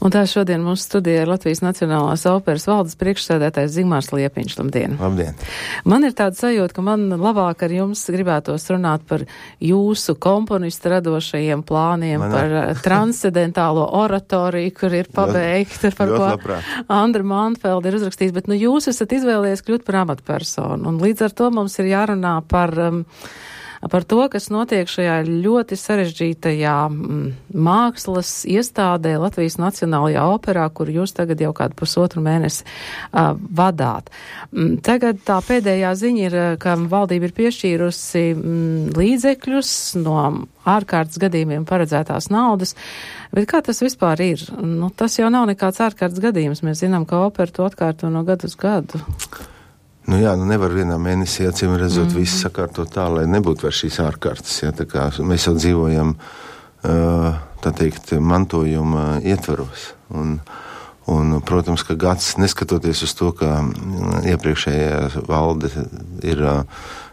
Un tā šodien mūsu studijā ir Latvijas Nacionālās operas valdes priekšsēdētājs Zigmārs Liepiņš. Labdien! Labdien! Man ir tāda sajūta, ka man labāk ar jums gribētos runāt par jūsu komponistu radošajiem plāniem, par transcendentālo oratoriju, kur ir pabeigta, par ko Andra Manfelda ir uzrakstījis, bet jūs esat izvēlējies kļūt par amatpersonu, un līdz ar to mums ir jārunā par to, kas notiek šajā ļoti sarežģītajā mākslas iestādē Latvijas Nacionālajā operā, kur jūs tagad jau kādu pusotru mēnesi vadāt. Tagad tā pēdējā ziņa ir, ka valdība ir piešķīrusi līdzekļus no ārkārtas gadījumiem paredzētās naudas, bet kā tas vispār ir? Tas jau nav nekāds ārkārtas gadījums. Mēs zinām, ka opera to atkārto no gadu uz gadu. Nevar vienā mēnesī, acīm redzot, visu sakārtot tā, lai nebūtu vairs šīs ārkārtas. Ja, tā kā mēs jau dzīvojam, tā teikt, mantojuma ietvaros. Un, protams, ka gads, neskatoties uz to, ka iepriekšējā valde ir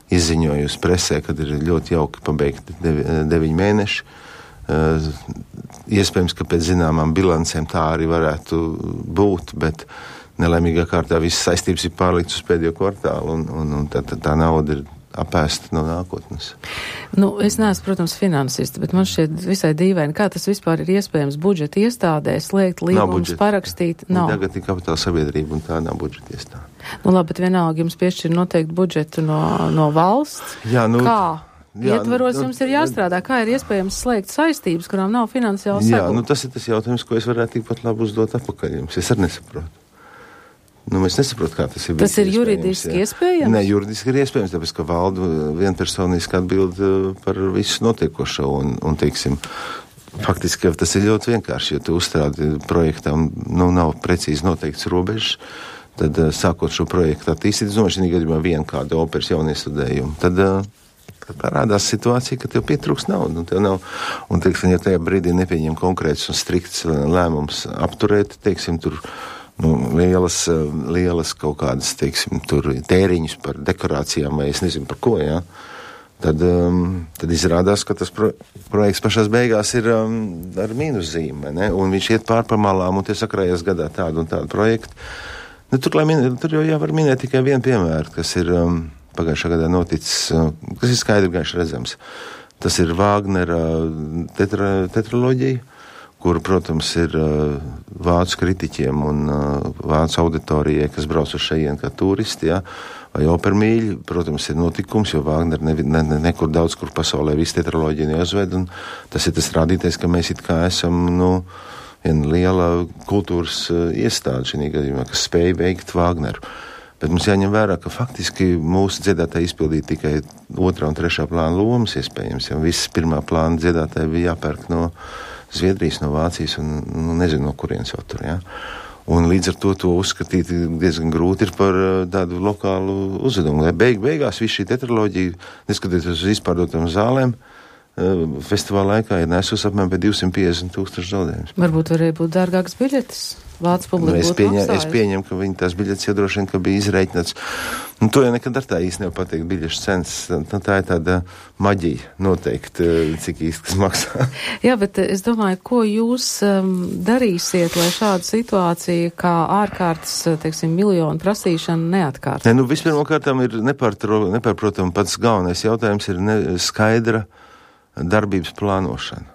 izziņojusi presē, kad ir ļoti jauki pabeigti 9 mēneši, iespējams, ka pēc zināmām bilancēm tā arī varētu būt, bet nelaimīgā kārtā visas saistības ir pārliktas uz pēdējo kvartālu, un tā nauda ir apēsta no nākotnes. Es neesmu, protams, finansists, bet man šķiet visai dīvaini, kā tas vispār ir iespējams budžeta iestādē slēgt līgumus, parakstīt. Tagad ir kapitāla sabiedrība, un tā nav budžeta iestāde. Labi, bet vienalga jums piešķir noteikti budžetu no valsts. Kā? Ietvaros jums ir jāstrādā, kā ir iespējams slēgt saistības, kurām nav finansiāla sagūta. Tas ir tas jautājums, ko es varētu tikpat labi uzdot atpakaļ jums. Es arī nesaprotu. Mēs nesaprotam, kā tas ir. Tas ir juridiski iespējams? Nē, juridiski ir iespējams, tāpēc, ka valda vienpersoniski atbild par visu notiekošo, un teiksim, faktiski tas ir ļoti vienkārši, ja tu uzstrādi projektam, nav precīzi noteikts robežas, tad sākot šo projektu attīstīt, es domāju, šī gadījumā vienu kādu operas jauniestudējumu, tad parādās situācija, ka tev pietrūks naudu, un tev nav, un teiksim, ja tajā brīdī nepieņem konkrēts un strikts lēmums apturēt, teiksim, tur lielas kaut kādas, teiksim, tur tēriņus par dekorācijām, vai es nezinu par ko, jā. Tad izrādās, ka tas projekts pašās beigās ir ar mīnuszīme, ne? Un viņš iet pārpamalām, un tie sakrājas gadā tādu un tādu projektu. Tur jau jāvar minēt tikai vienu piemēru, kas ir pagājušā gadā noticis, kas ir skaidri gaiši redzams. Tas ir Vāgnera tetraloģija, kur, protams, ir vācu kritiķiem un vācu auditorijai, kas brauc uz šejienu kā turisti, ja, vai opermīļi, protams, ir notikums, jo Vāgner nekur daudz, kur pasaulē visu tetraloģiju neuzved, un tas ir tas rādītais, ka mēs it kā esam, viena liela kultūras iestāde šī gadījumā, kas spēja veikt Vāgneru. Bet mums jāņem vērā, ka faktiski mūsu dziedātāji izpildīja tikai 2. un 3. plāna lomas, iespējams, ja visas 1. plāna dziedātāji bija jāpērk no Zviedrijas, no Vācijas un nezinu, no kurienes vēl tur, ja. Un līdz ar to uzskatīt diezgan grūti ir par tādu lokālu uzvedumu. Lai beigās viss šī tetraloģija, neskatoties uz izpārdotām zālēm, festivāla laikā ir nesus apmēram pie 250,000 zaudējumus. Varbūt varēja būt dārgāks biļetes. Vācu publika būtu maksājusi. Es pieņemu, ka viņi tās biļetes jau droši vien, ka bija izreikināts. To jau nekad ar tā īsti nevar pateikt biļešu cenas. Tā ir tāda maģija noteikti, cik īsti kas maksā. Jā, bet es domāju, ko jūs darīsiet, lai šāda situācija kā ārkārtas, teiksim, miljonu prasīšana neatkārt? Vispirmkārtām ir nepārprotam pats galvenais jautājums ir skaidra darbības plānošana.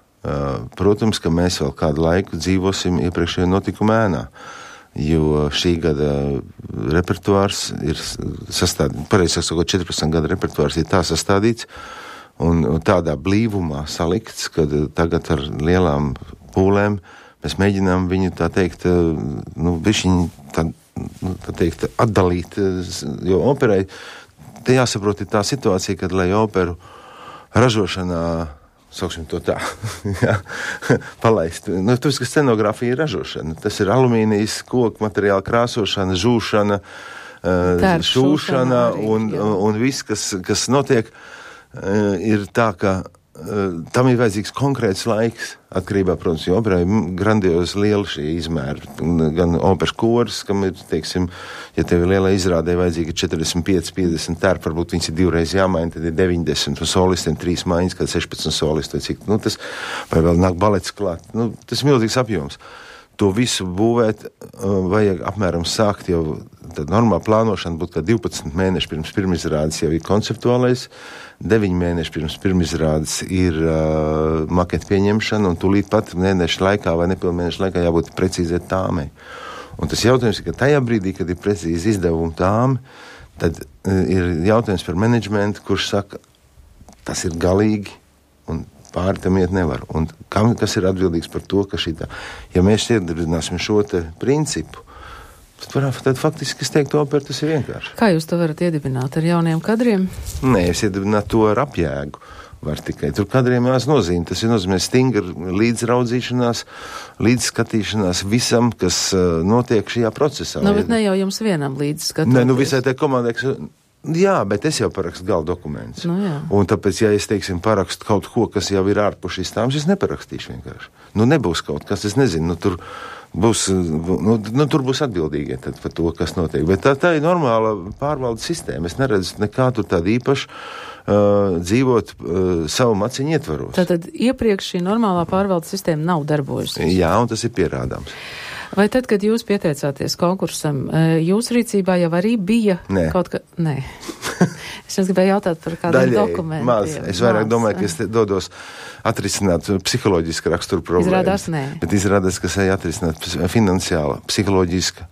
Protams, ka mēs vēl kādu laiku dzīvosim iepriekšējā notikuma ēnā, jo šī gada repertuārs ir sastādīts, pareizāk sakot, 14 gada repertuārs ir tā sastādīts un tādā blīvumā salikts, kad tagad ar lielām pūlēm mēs mēģinām viņu, tā teikt, atdalīt, jo operai, te jāsaprot, ir tā situācija, kad, lai operu ražošanā sauksim to tā, palaist. Tas, ka scenogrāfija ir ražošana, tas ir alumīnijas, koku materiāla krāsošana, žūšana, šūšana un viss, kas notiek, ir tā, ka tam ir vajadzīgs konkrēts laiks, atkarībā, protams, jo operai grandiozi liela šī izmēra, gan operas koris, kam ir, teiksim, ja tev ir liela izrādē vajadzīga 45-50 tērpi, varbūt viņas ir 2 reizes jāmaina, tad ir 90, un solistiem 3 maiņas, kad 16 solisti, vai cik, tas, vai vēl nāk balets klāt, tas ir milzīgs apjoms. to visu būvēt, vajag apmēram sākt jau, tad normāla plānošana būtu, ka 12 mēneši pirms pirmizrādes jau ir konceptuālais, 9 mēneši pirms pirmizrādes ir maketa pieņemšana, un tūlīt pat mēnešu laikā vai nepilnu mēnešu laikā jābūt precīzai tāmei. Un tas jautājums ir, ka tajā brīdī, kad ir precīzi izdevumi tāmi, tad ir jautājums par menedžmentu, kurš saka, tas ir galīgi, un pāri tam iet nevar. Un kas ir atbildīgs par to, ka šitā, ja mēs iedarbināsim šo te principu, tad faktiski es teiktu, opera, tas ir vienkārši. Kā jūs to varat iedibināt? Ar jauniem kadriem? Nē, es iedibinātu to ar apjēgu. Var tikai. Tur kadriem jās nozīme. Tas ir nozīmē stingra līdzraudzīšanās, līdzskatīšanās visam, kas notiek šajā procesā. Nu, bet ne jau jums vienam līdzskatoties. Nē, visai tai komandai, jā, bet es jau parakstu gala dokumentus. Nu, jā. Un tāpēc, ja es, teiksim, parakstu kaut ko, kas jau ir ārpus šīs tāmas, es neparakstīšu vienkārši. Nebūs kaut kas, es nezinu, tur būs atbildīgie tad par to, kas notiek. Bet tā ir normāla pārvaldes sistēma. Es neredzu nekā tur tādu īpašu dzīvot savu maciņu ietvaros. Tātad iepriekš šī normālā pārvaldes sistēma nav darbojusies? Jā, un tas ir pierādāms. Vai tad, kad jūs pieteicāties konkursam, jūsu rīcībā jau arī bija kaut ka... Nē. Es gribēju jautāt par kādiem dokumentiem. Maz. Es vairāk domāju, ka es dodos atrisināt psiholoģiski raksturu problēmas. Izrādās nē. Bet izrādās, ka es eju atrisināt finansiāla, psiholoģiska,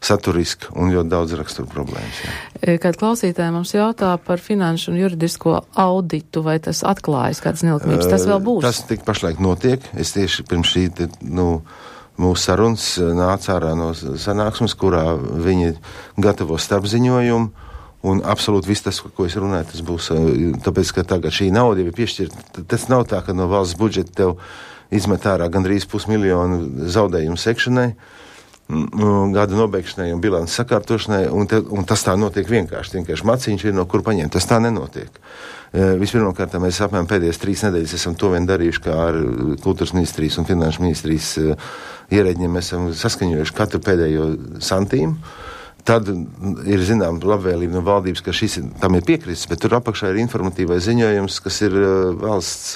saturiska un ļoti daudz raksturu problēmas. Jā. Kad klausītāji mums jautā par finanšu un juridisko auditu, vai tas atklājas kādas nelikumības, tas vēl būs? Tas tik pašlaik notiek. Es tieši pirms šī, mūsu sarunas nāca ārā no sanāksmes, kurā viņi gatavo starpziņojumu, un absolūti viss tas, ko es runāju, tas būs, tāpēc, ka tagad šī nauda jau ir piešķirta. Tas nav tā, ka no valsts budžeta tev izmet ārā gandrīz 500 000 zaudējumu sekšanai, gada nobeigšanai un bilances sakārtošanai, un tas tā notiek vienkārši maciņš ir no kur paņemt. Tas tā nenotiek. Vispirmkārt, mēs apmēram pēdējās 3 nedēļas esam to vien darījuši, kā ar kultūras ministrijas un finanšu ministrijas ierēģiem mēs esam saskaņojuši katru pēdējo santīmu. Tad ir, zinām, labvēlība no valdības, ka tam ir piekrists, bet tur apakšā ir informatīvais ziņojums, kas ir valsts,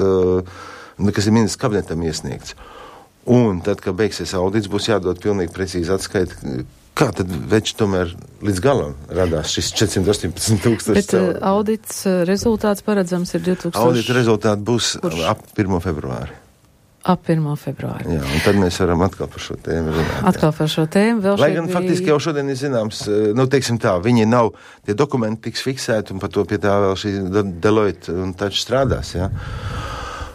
kas ir ministrs kabinetam iesniegts. Un tad, kad beigsies audits, būs jādod pilnīgi precīzi atskaita, kā tad veči tomēr līdz galam radās šis 418 000. Bet audits rezultāts paredzams ir 2000. Audita rezultāti būs ap 1. februāri. Ap 1. februāri. Jā, un tad mēs varam atkal par šo tēmu runāt. Atkal par šo tēmu vēl lai gan faktiski jau šodien ir zināms, teiksim tā, viņi nav, tie dokumenti tiks fiksēti un par to pie tā vēl šī Deloitte un taču strādās, jā.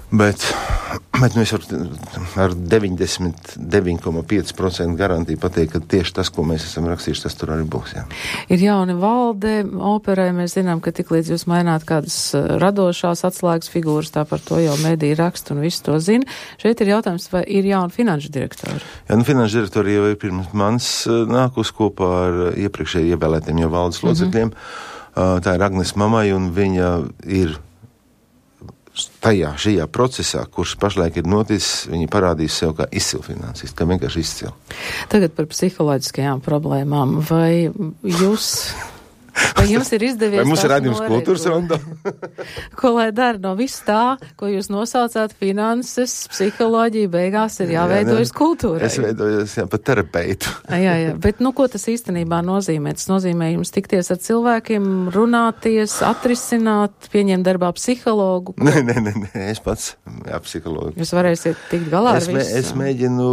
Bet mēs ar 99,5% garantiju pateikt, ka tieši tas, ko mēs esam rakstījuši, tas tur arī būs. Jā. Ir jauna valde operai, mēs zinām, ka tik līdz jūs maināt kādas radošās atslēgas figūras, tā par to jau mediji raksta un visu to zina. Šeit ir jautājums, vai ir jauna finanšu direktori? Jā, finanšu direktori jau ir pirms manis nākus kopā ar iepriekšēji ievēlētiem jau valdes locekļiem. Tā ir Agnes Mamai, un viņa ir šajā procesā, kurš pašlaik ir noticis, viņi parādīs sev kā izcilu finansistu, kā vienkārši izcilu. Tagad par psiholoģiskajām problēmām. Vai jums ir izdevies... Vai mums ir rādījums kultūras rondo? Ko lai dara no viss tā, ko jūs nosaucāt finanses, psiholoģija, beigās ir jāveidojas kultūrai? Es veidojos, pat terapeitu. Jā, bet ko tas īstenībā nozīmē? Tas nozīmē jums tikties ar cilvēkiem, runāties, atrisināt, pieņemt darbā psihologu? Nē, es pats, psihologu. Jūs varēsiet tikt galā ar visu? Es mēģinu,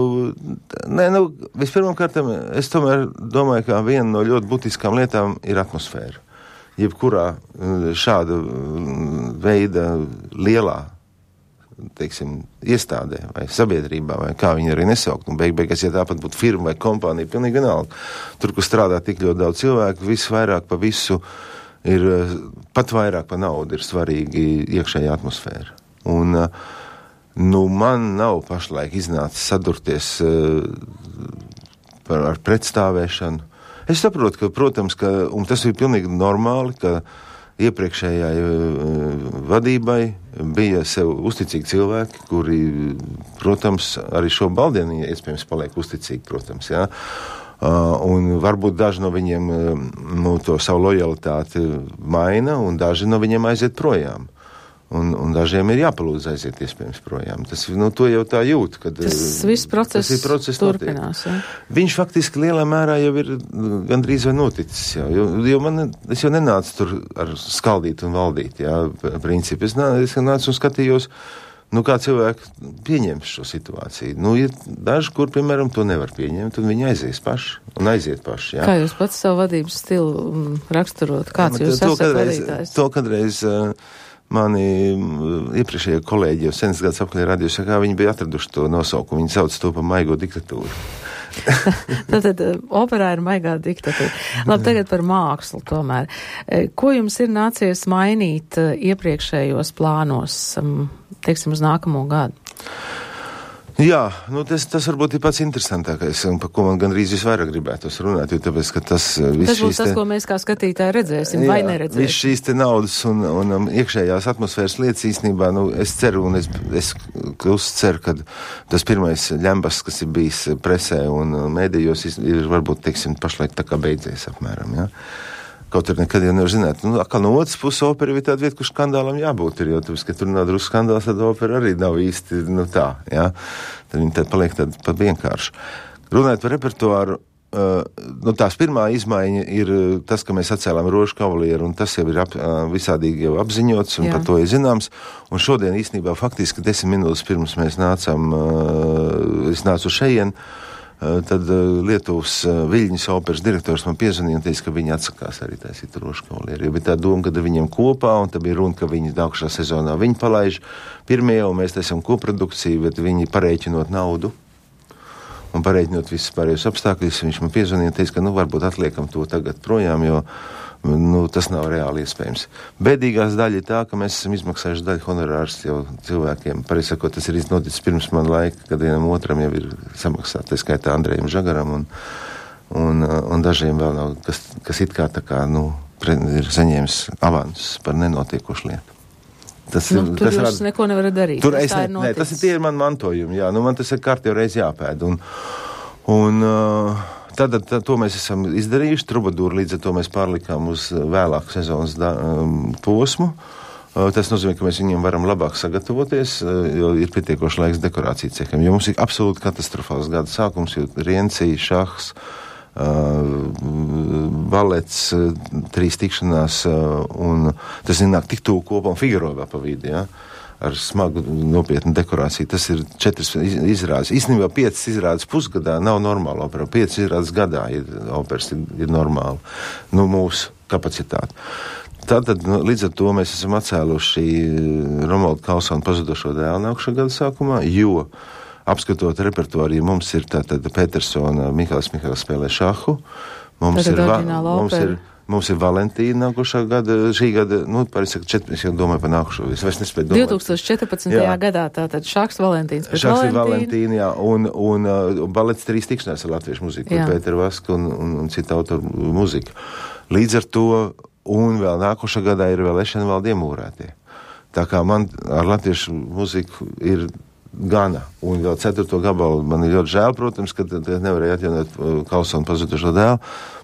vispirmkārt, es tomēr domāju, ka viena no ļoti būtiskām lietām ir atmosfēra. Jebkurā šāda veida lielā, teiksim, iestādē vai sabiedrībā, vai kā viņi arī nesaukt, un beigās, ja tāpat būtu firma vai kompānija, pilnīgi vienalga. Tur, kur strādā tik ļoti daudz cilvēku, viss vairāk pa visu ir, pat vairāk pa naudu ir svarīgi iekšējā atmosfēra. Un, man nav pašlaik iznācis sadurties ar pretstāvēšanu. Es saprotu, ka, protams, un tas ir pilnīgi normāli, ka iepriekšējai vadībai bija sev uzticīgi cilvēki, kuri, protams, arī šo baldienu iespējams paliek uzticīgi, protams, jā. Un varbūt daži no viņiem to savu lojalitāti maina, un daži no viņiem aiziet projām. Un dažiem ir jāpalūdz aiziet iespējams projām. Tas, to jau tā jūt, kad tas viss process turpinās. Ja? Viņš faktiski lielā mērā jau ir gandrīz vai noticis. Jo es jau nenācu tur ar skaldīt un valdīt, principu. Es nācu un skatījos, kā cilvēki pieņems šo situāciju. Ir daži, kur, piemēram, to nevar pieņemt, un viņi aizies paši un aiziet paši. Jā. Kā jūs pats savu vadības stilu raksturot? Kāds jūs esat vadītājs? To kādreiz mani iepriekšējie kolēģi jau senas gadus apkārt radījuši, kā viņi bija atraduši to nosaukumu. Viņi sauc to par maigo diktatūru. Tātad operā ir maigā diktatūra. Labi, tagad par mākslu tomēr. Ko jums ir nācies mainīt iepriekšējos plānos, teiksim, uz nākamo gadu? Jā, tas varbūt ir pats interesantākais, un par ko man gandrīz visvairāk gribētos runāt, jo tāpēc, ka tas būs tas, ko mēs kā skatītāji redzēsim, vai neredzēsim. Viss šīs te naudas un iekšējās atmosfēras lietas īstenībā, es ceru, un es ceru, ka tas pirmais ļambas, kas ir bijis presē un mēdījos, ir varbūt, teiksim, pašlaik tā kā beidzies apmēram, jā. Kaut arī nekad jau nevar zināt. Atkal no otras puses opera ir tāda vieta, kur skandālam jābūt ir, jo tāpēc, ka tur nav drusku skandāls, tad opera arī nav īsti, tā, jā. Tad viņi tad paliek tāda pat vienkārši. Runājot par repertuāru, tās pirmā izmaiņa ir tas, ka mēs atcēlām Rožu kavalieru, un tas jau ir visādīgi jau apziņots, un par to ir zināms. Un šodien īstenībā faktiski 10 minūtes pirms mēs es nācu šeien, tad Lietuvas Viļņas operas direktors man piezvanīja un teica, ka viņi atsakās arī taisīt Rožu kavalieru. Jo bija tā doma, ka viņiem kopā, un tad bija runa, ka viņi nākušā sezonā viņi palaiž pirmie, un mēs taisam koprodukciju, bet viņi parēķinot naudu un parēķinot visus pārējos apstākļus. Viņš man piezvanīja un teica, ka varbūt atliekam to tagad projām, jo tas nav reāli iespējams. Bēdīgās daļa ir tā, ka mēs esam izmaksājuši daļu honorārus jau cilvēkiem. Pareizi sakot, tas ir noticis pirms man laika, kad vienam otram jau ir samaksāt, tā skaitā Andrejam Žagaram un dažiem vēl nav, kas it kā tā kā, ir saņēmis avansus par nenotiekušu lietu. Tur jūs neko nevarat darīt. Tas ir man mantojumi, jā. Man tas ir kārtīgi reiz jāpēd. Tad to mēs esam izdarījuši. Trubadūru līdz ar to mēs pārlikām uz vēlāku sezonas posmu. Tas nozīmē, ka mēs viņiem varam labāk sagatavoties, jo ir pietiekoši laiks dekorāciju ceham. Jo mums ir absolūti katastrofāls gada sākums, jo Riencija, šahs, balets, 3 tikšanās, un tas nāk tik tuvu kopā un Figaro vēl pa vidi, jā. Ar smagu nopietnu dekorāciju. Tas ir 4 izrādes. Īstenībā 5 izrādes pusgadā nav normāla opera. 5 izrādes gadā operas ir normāla. Mūsu kapacitāte. Tātad līdz ar to mēs esam atcēluši Romualda Kalsona pazudušo dēlu nākušā gada sākumā, jo apskatot repertuāru, mums ir tātad Petersona, Mihāls spēlē šahu. Mums ir Valentīna nākošā gada, šī gada, es jau domāju par nākušo, es vairs nespēju domāt. 2014. gadā tātad šaks Valentīns pēc Valentīna. Šaks ir Valentīna, jā, un balets 3 tikšanās ar latviešu muziku, Pēteru Vasku un citu autoru muziku. Līdz ar to, un vēl nākošā gadā ir vēl Ešenvalda iemūrētie. Tā kā man ar latviešu muziku ir gana, un vēl 4. gabalu man ir ļoti žēl, protams, ka nevarēja atjaunot Kalsona pazudušo dēlu,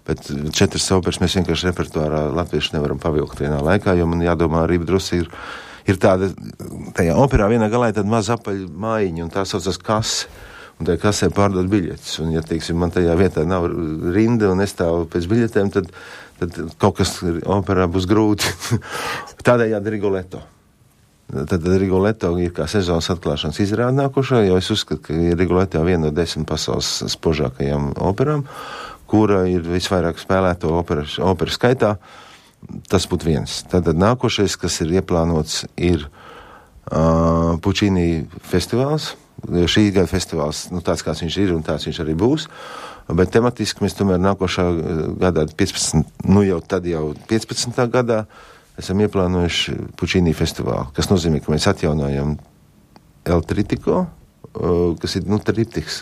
bet 4 operas mēs vienkārši repertuārā latviešu nevaram pavilkt vienā laikā, jo man jādomā arī drusi ir tāda, tajā operā vienā galā ir tāda maza apaļa mājiņa, un tā saucas kase, un tajā kasē pārdod biļetes, un ja, teiksim, man tajā vietā nav rinda un nestāv pēc biļetēm, tad kaut kas operā būs grūti. Tādējādi Rigoletto. Tad Rigoletto ir kā sezonas atklāšanas izrāde nākošā, jo es uzskatu, ka Rigoletto ir viena no 10 pasaules spožākajām operām, kura ir visvairāk spēlēto operu skaitā. Tas būtu viens. Tātad nākošais, kas ir ieplānots, ir Puccini festivāls. Šī gada festivāls, tāds kāds viņš ir un tāds viņš arī būs. Bet tematiski mēs tomēr nākošā gadā, 15. gadā, esam ieplānojuši Puccini festivālu, kas nozīmē, ka mēs atjaunojam El Trittico, kas ir, triptiks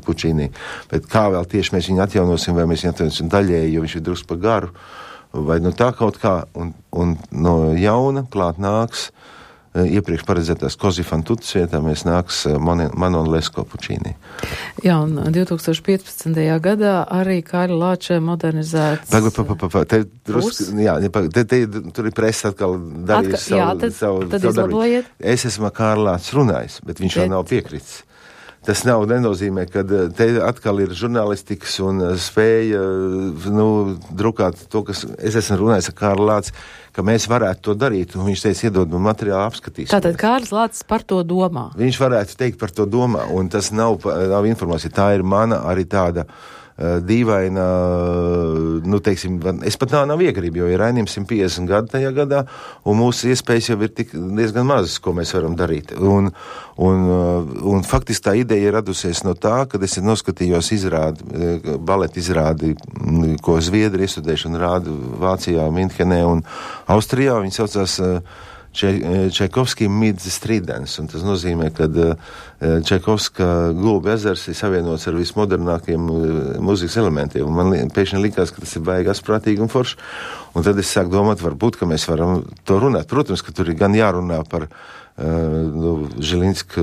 Puccini. Bet kā vēl tieši mēs viņu atjaunosim, vai mēs viņu atjaunosim daļēji, jo viņš ir drusku pa garu, vai tā kaut kā, un no jauna klāt nāks iepriekš paredzētās Così fan tutte vietā mēs nāks Manon Lescaut Puccini. Jā, un 2015. gadā arī Kārļa Lāča modernizēts. Tur ir presa atkal darījis savu darbu. Es esmu Kārļa Lāčs runājis, bet viņš vēl nav piekritis. Tas nenozīmē, ka te atkal ir žurnālistikas un spēja drukāt to, kas es esmu runājis ar Kārļu Lāci, ka mēs varētu to darīt, un viņš teica, iedod man materiālu apskatīs. Tātad Kārlis Lācis par to domā. Viņš varētu teikt par to domā, un tas nav informācija, tā ir mana arī tāda dīvaina, teiksim, es pat nav iegrib, jo ir Rainim 150 gadu tajā gadā, un mūsu iespējas jau ir diezgan mazas, ko mēs varam darīt. Un faktiski tā ideja ir radusies no tā, kad es noskatījos baleta izrādi, ko Zviedri iestudējuši un rāda Vācijā, Minhenē un Austrijā. Viņi saucās Čaikovskij Midstridens, un tas nozīmē, ka Čaikovska Gulbi ezers ir savienots ar vismodernākiem mūzikas elementiem, un man pēkšņi likās, ka tas ir baigi asprātīgi un forši, un tad es sāku domāt, varbūt, ka mēs varam to runāt. Protams, ka tur ir gan jārunā par Žilinska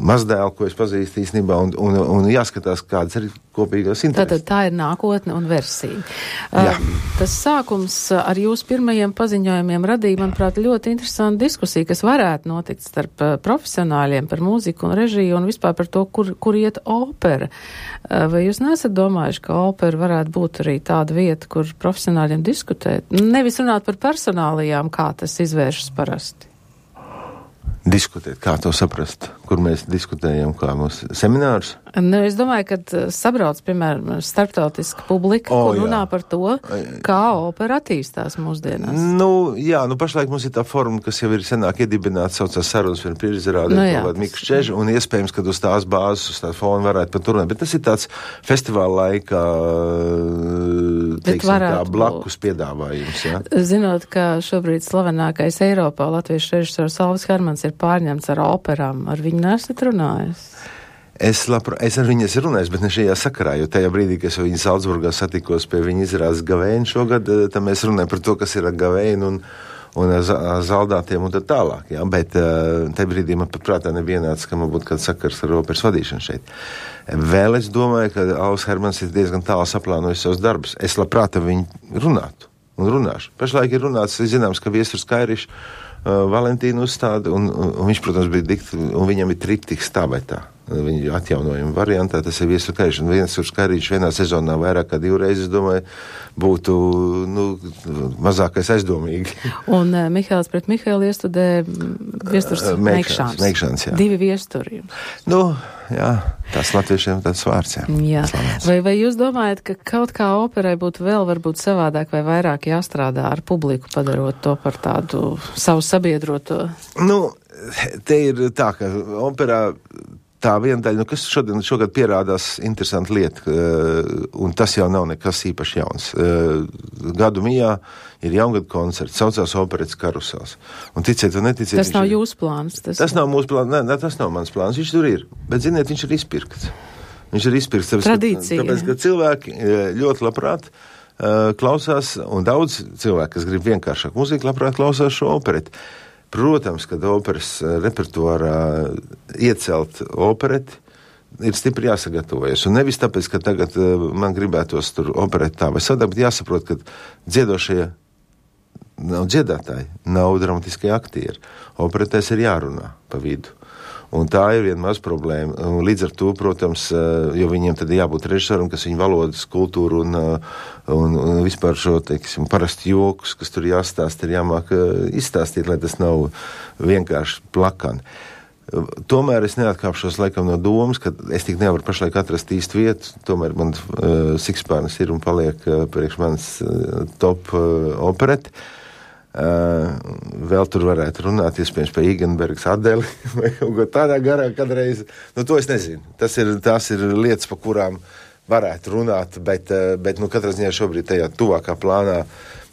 mazdēlu, ko es pazīstu īstenībā, un jāskatās, kādas ir kopīgās intereses. Tātad tā ir nākotne un versija. Tas sākums ar jūsu pirmajiem paziņojumiem radīja, manuprāt, ļoti interesantu diskusiju, kas varētu notikt starp profesionāļiem par mūziku un režiju un vispār par to, kur iet opera. Vai jūs nesat domājuši, ka opera varētu būt arī tāda vieta, kur profesionāļiem diskutēt? Nevis runāt par personālijām, kā tas izvēršas parasti. Diskutēt, kā to saprast, kur mēs diskutējam, kā mūsu seminārus? Es domāju, ka sabrauc, piemēram, starptautiska publika, kur runā par to, kā opera attīstās mūsdienās. Pašlaik mums ir tā forma, kas jau ir senāk iedibināta, saucās sarunas par priekšizrādi, Miks Čeža, un iespējams, ka uz tās bāzes, uz tā fona varētu pat turēt, bet tas ir tāds festivāla laikā, teiksim, tā blakus piedāvājums, jā? Zinot, ka šobrīd slavenākais Eiropā latviešu režisors Alvis Hermans ir pārņemts ar operām, ar viņu nesat runājis? Es ar viņu esmu runājis, bet ne šajā sakarā, jo tajā brīdī, kad es viņu Salzburgā satikos pie viņa izrādes Gavēnu šogad, tad mēs runājam par to, kas ir ar Gavēnu un zaldātiem un tā tālāk, jā, bet tajā brīdī man pat prātā nevienāds, ka man būtu kāds sakars ar operas vadīšanu šeit. Vēl es domāju, ka Alvis Hermans ir diezgan tālu saplānojis savus darbus. Es labprāt ar viņu runātu un runāšu. Pašlaik ir runāts, zināms, ka Viesturs Kairišs Valentīnu uzstāda, un viņš, protams, un viņam ir triptiks tā vai tā. Viņa atjaunojuma variantā, tas ir Viesturs Kairišs, un Viesturs Kairišs vienā sezonā vairāk kā 2 reizes, es domāju, būtu, mazākais aizdomīgi. Un Mihēls pret Mihēlu iestudē Viesturs Meikšāns. Jā. 2 viesturi. Jā, tās latviešiem tāds vārds, jā. Jā. Vai jūs domājat, ka kaut kā operai būtu vēl varbūt savādāk vai vairāk jāstrādā ar publiku, padarot to par tādu savu sabiedroto? Te ir tā, ka operā tā viena daļa, kas šogad pierādās interesanta lieta, un tas jau nav nekas īpaši jauns. Gadu mijā ir jaungada koncerts, saucās Operetes karusels. Un ticiet vai neticiet... Tas nav jūsu plāns? Tas nav mūsu plāns, ne, tas nav mans plāns, viņš tur ir. Bet, ziniet, viņš ir izpirkts. Tradīcija. Tāpēc, ka cilvēki ļoti labprāt klausās, un daudz cilvēku, kas grib vienkāršāk mūziku, labprāt klausās šo opereti. Protams, kad operas repertuārā iecelt opereti, ir stipri jāsagatavojas. Un nevis tāpēc, ka tagad man gribētos tur operēt tā vai savādāk, bet jāsaprot, ka dziedošie nav dziedātāji, nav dramatiskie aktieri. Operetēs ir jārunā pa vidu. Un tā ir viena maz problēma. Un līdz ar to, protams, jo viņiem tad jābūt režisoram, kas viņu valodas, kultūru un vispār šo, teiksim, parasti jokus, kas tur jāstāst, ir jāmāk izstāstīt, lai tas nav vienkārši plakani. Tomēr es neatkāpšos laikam no domas, ka es tik nevaru pašlaik atrast īstu vietu, tomēr man Sikspārnis ir un paliek priekš manas top opereti. Vēl tur varētu runāt, iespējams, par Igenbergs Adeli vai kaut tādā garā kādreiz. To es nezinu. Tās ir lietas, pa kurām varētu runāt, bet katrā ziņā šobrīd tajā tuvākā plānā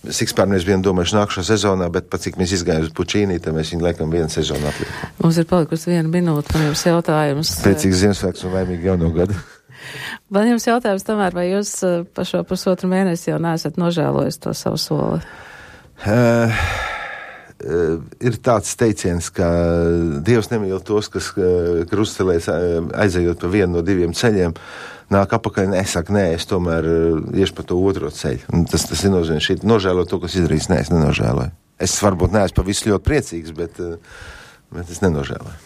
Sikspārni mēs bijām domājuši nākušā sezonā, bet pat cik mēs izgājām uz Pučīnī, tad mēs viņu laikam 1 sezonu atliekam. Mums ir palikusi 1 minūte, man jums jautājums. Priecīgs Ziemassvētkus un laimīgu jauno gadu. Man jums jautājums tomēr, vai jūs pa šo 1,5 mēnesi jau neesat nožēlojis to savu soli? ir tāds teiciens, ka Dievs nemīl tos, kas krustcelēs aizejot pa vienu no diviem ceļiem, nāk apakaļ, nesaka, nē, es tomēr iešu pa to otro ceļu. Un tas ir nozīmē, šī nožēlot to, kas izdarīs, nē, es nenožēloju. Es varbūt neesmu pa visu ļoti priecīgs, bet es nenožēloju.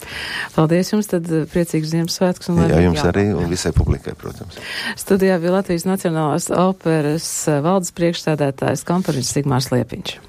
Paldies jums, tad priecīgs Ziemassvētkus. Jā, jums arī un visai publikai, protams. Studijā bija Latvijas Nacionālās operas valdes priekšsēdētājs komponists Sigmārs Liepiņš.